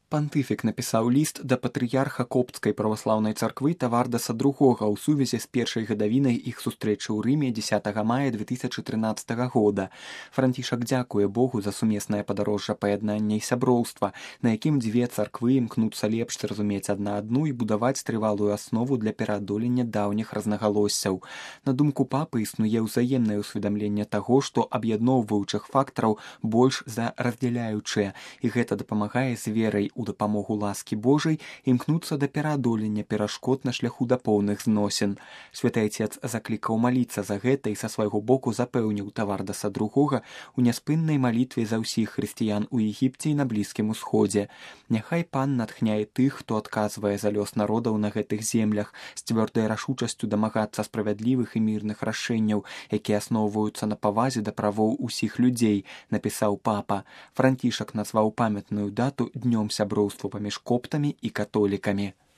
Пантыфік напісаў ліст да патрыярха копцкай праваслаўнай царквы Тавардаса II ў сувязі з першай гадавінай іх сустрэчы ў Рыме 10 мая 2013 года. Францішак дзякуе Богу за сумеснае падарожжа паяднання і сяброўства, на якім дзве царквы імкнуцца лепш зразумець адна адну і будаваць трывалую аснову для пераадолення даўніх рознагалоссяў. На думку папы існуе ўзаемнае ўсведамленне таго, што аб'ядноўваючых фактараў больш за раздзяляючыя, і гэта дапамагае з верай у дапамогу ласкі Божай імкнуцца да пераадолення перашкод на шляху да поўных зносін. Святы Айцец заклікаў маліцца за гэта і са свайго боку запэўніў Тавардаса II у няспыннай малітве за ўсіх хрысціян у Егіпце і на Блізкім Усходзе. Няхай Пан натхняе тых, хто адказвае за лёс народаў на гэтых землях, з цвёрдай рашучасцю дамагацца справядлівых і мірных рашэнняў, якія асноўваюцца на павазе да правоў усіх людзей, напісаў папа. Францішак назваў памятную дату днём сяброўства паміж коптамі і католікамі.